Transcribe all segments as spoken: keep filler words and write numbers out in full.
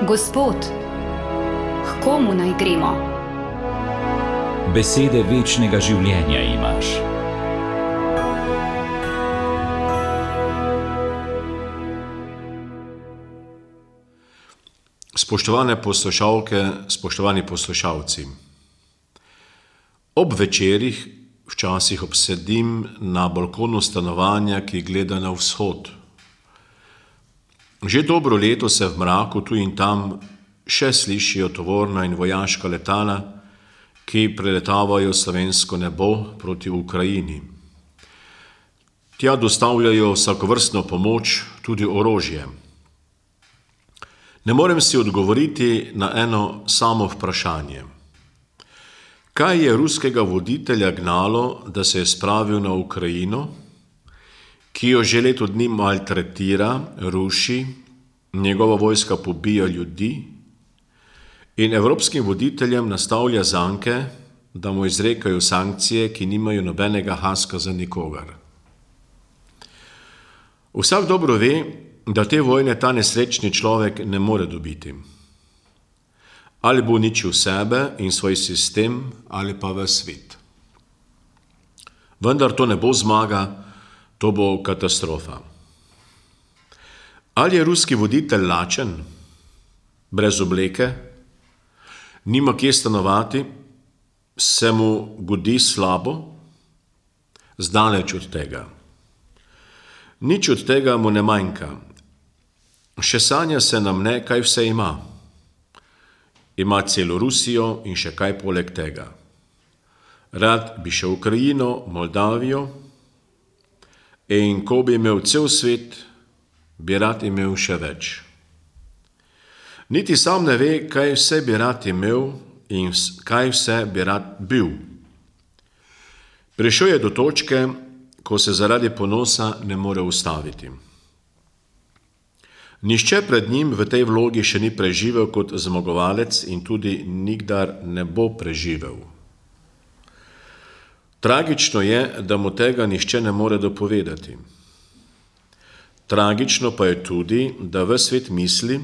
Gospod, k komu naj gremo? Besede večnega življenja imaš. Spoštovane poslušalke, spoštovani poslušalci. Ob večerih včasih obsedim na balkonu stanovanja, ki gleda na vzhod. Že dobro leto se v mraku tu in tam še slišijo tovorna in vojaška letala, ki preletavajo slovensko nebo proti Ukrajini. Tja dostavljajo vsakovrstno pomoč, tudi orožje. Ne morem si odgovoriti na eno samo vprašanje. Kaj je ruskega voditelja gnalo, da se je spravil na Ukrajino, ki jo že leto dni maltretira, ruši, njegova vojska pobija ljudi in evropskim voditeljem nastavlja zanke, da mu izrekajo sankcije, ki nimajo nobenega haska za nikogar. Vsak dobro ve, da te vojne ta nesrečni človek ne more dobiti. Ali bo uničil sebe in svoj sistem, ali pa ves svet. Vendar to ne bo zmaga, to bo katastrofa. Ali je ruski voditelj lačen, brez obleke, nima kje stanovati, se mu godi slabo? Zdaleč od tega. Nič od tega mu ne manjka. Še sanja se nam ne, kaj vse ima. Ima celo Rusijo in še kaj poleg tega. Rad bi še Ukrajino, Moldavijo, in ko bi imel cel svet, bi rad imel še več. Niti sam ne ve, kaj vse bi rad imel in kaj vse bi rad bil. Prišel je do točke, ko se zaradi ponosa ne more ustaviti. Nihče pred njim v tej vlogi še ni preživel kot zmagovalec in tudi nikdar ne bo preživel. Tragično je, da mu tega nihče ne more dopovedati. Tragično pa je tudi, da ves svet misli,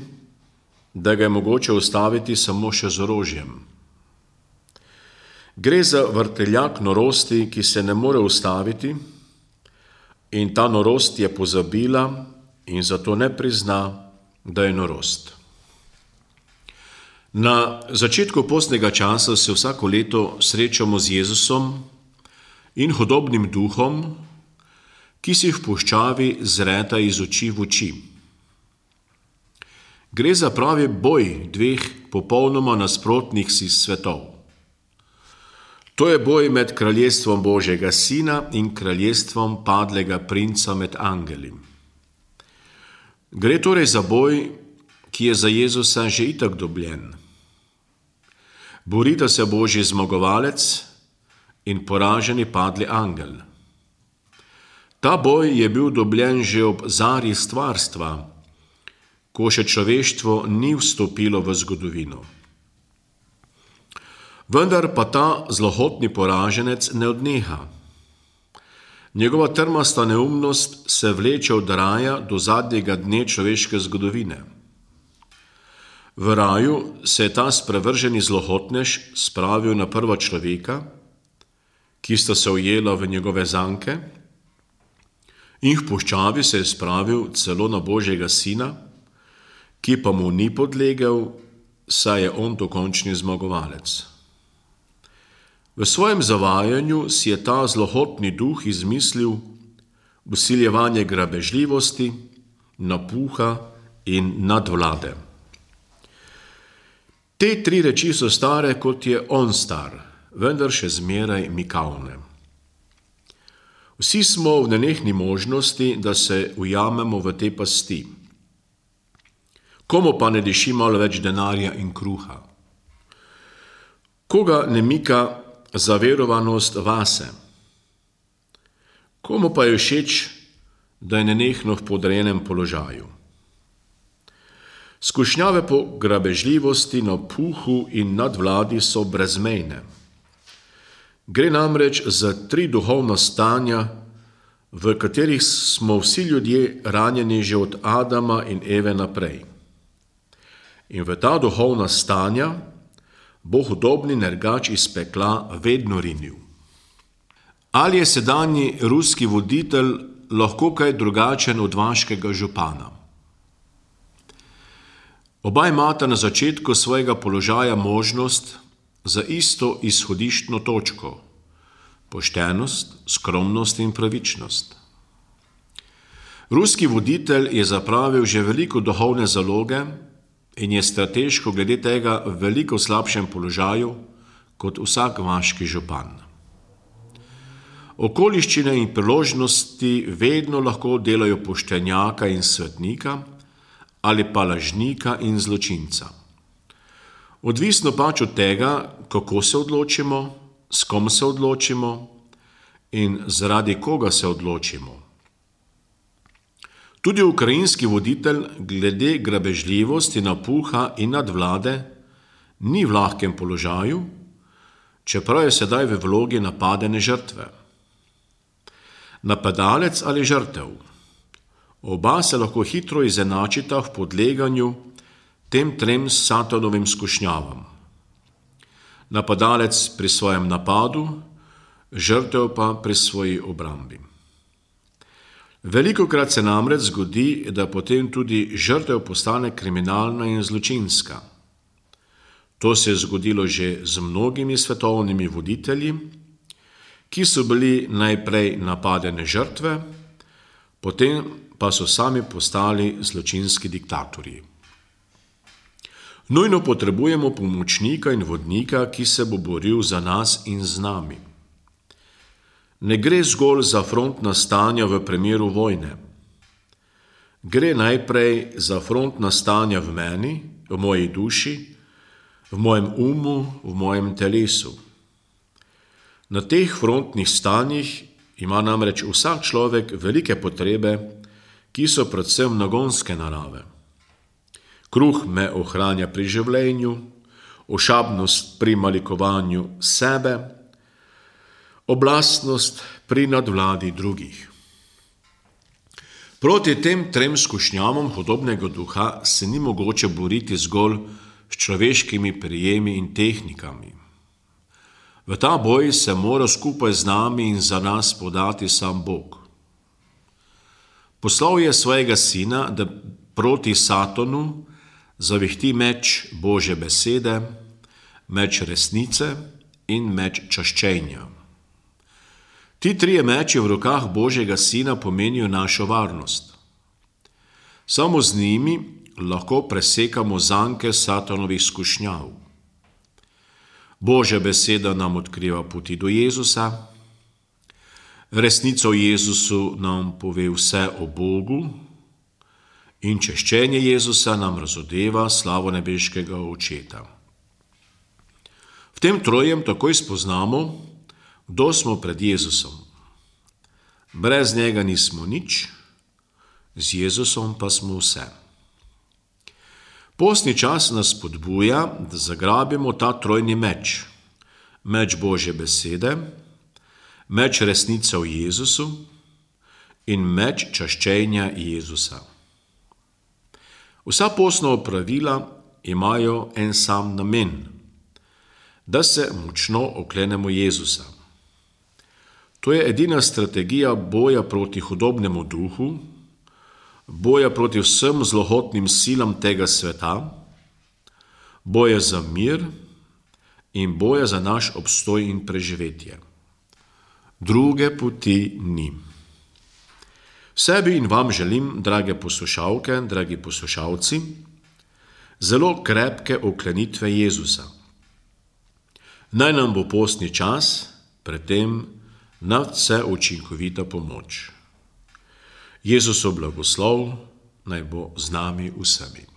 da ga je mogoče ustaviti samo še z orožjem. Gre za vrteljak norosti, ki se ne more ustaviti, in ta norost je pozabila in zato ne prizna, da je norost. Na začetku postnega časa se vsako leto srečamo z Jezusom in hudobnim duhom, ki si v puščavi zreta iz oči v oči. Gre za pravi boj dveh popolnoma nasprotnih si svetov. To je boj med kraljestvom Božjega Sina in kraljestvom padlega princa med angeli. Gre torej za boj, ki je za Jezusa že itak dobljen. Borita se Božji zmagovalec in poraženi padli angel. Ta boj je bil dobljen že ob zari stvarstva, ko še človeštvo ni vstopilo v zgodovino. Vendar pa ta zlohotni poraženec ne odneha. Njegova trmasta neumnost se vleče od raja do zadnjega dne človeške zgodovine. V raju se je ta sprevrženi zlohotnež spravil na prva človeka, ki sta se ujela v njegove zanke, in v puščavi se je spravil celo na Božjega Sina, ki pa mu ni podlegel, saj je on dokončni zmagovalec. V svojem zavajanju si je ta zlohotni duh izmislil vsiljevanje grabežljivosti, napuha in nadvlade. Te tri reči so stare, kot je on star, vendar še zmeraj mikavne. Vsi smo v nenehni možnosti, da se ujamemo v te pasti. Komu pa ne diši malo več denarja in kruha? Koga ne mika zaverovanost vase? Komu pa je všeč, da je nenehno v podrejenem položaju? Skušnjave po grabežljivosti, napuhu in nadvladi so brezmejne. Gre namreč za tri duhovna stanja, v katerih smo vsi ljudje ranjeni že od Adama in Eve naprej. In v ta duhovna stanja bo hudobni nergač iz pekla vedno rinil. Ali je sedanji ruski voditelj lahko kaj drugačen od vaškega župana? Oba imata na začetku svojega položaja možnost za isto izhodiščno točko, poštenost, skromnost in pravičnost. Ruski voditelj je zapravil že veliko duhovne zaloge in je strateško glede tega v veliko slabšem položaju kot vsak vaški župan. Okoliščine in priložnosti vedno lahko delajo poštenjaka in svetnika ali pa lažnika in zločinca. Odvisno pač od tega, kako se odločimo, s kom se odločimo in zaradi koga se odločimo. Tudi ukrajinski voditelj glede grabežljivosti, napuha in nadvlade ni v lahkem položaju, čeprav je sedaj v vlogi napadene žrtve. Napadalec ali žrtev. Oba se lahko hitro izenačita v podleganju tem trem satanovim skušnjavam. Napadalec pri svojem napadu, žrtev pa pri svoji obrambi. Velikokrat se namreč zgodi, da potem tudi žrtev postane kriminalna in zločinska. To se je zgodilo že z mnogimi svetovnimi voditelji, ki so bili najprej napadene žrtve, potem pa so sami postali zločinski diktatorji. Nujno potrebujemo pomočnika in vodnika, ki se bo boril za nas in z nami. Ne gre zgolj za frontna stanja v primeru vojne. Gre najprej za frontna stanja v meni, v moji duši, v mojem umu, v mojem telesu. Na teh frontnih stanjih ima namreč vsak človek velike potrebe, ki so predvsem nagonske narave. Kruh me ohranja pri življenju, ošabnost pri malikovanju sebe, oblastnost pri nadvladi drugih. Proti tem trem skušnjavam hudobnega duha se ni mogoče boriti zgolj s človeškimi prijemi in tehnikami. V ta boj se mora skupaj z nami in za nas podati sam Bog. Poslal je svojega sina, da proti Satanu zavihti meč Božje besede, meč resnice in meč čaščenja. Ti trije meči v rokah Božjega sina pomenijo našo varnost. Samo z njimi lahko presekamo zanke Satanovih skušnjav. Božja beseda nam odkriva poti do Jezusa, resnica o Jezusu nam pove vse o Bogu in čaščenje Jezusa nam razodeva slavo nebeškega Očeta. V tem trojem takoj spoznamo, kdo smo pred Jezusom. Brez njega nismo nič, z Jezusom pa smo vse. Postni čas nas spodbuja, da zagrabimo ta trojni meč, meč Božje besede, meč resnice o Jezusu in meč čaščenja Jezusa. Vsa postna opravila imajo en sam namen, da se močno oklenemo Jezusa. To je edina strategija boja proti hudobnemu duhu, boja proti vsem zlohotnim silam tega sveta, boja za mir in boja za naš obstoj in preživetje. Druge poti ni. Sebi in vam želim, drage poslušalke, dragi poslušalci, zelo krepke oklenitve Jezusa. Naj nam bo postni čas, predtem nadvse učinkovita pomoč. Jezusov blagoslov naj bo z nami vsemi.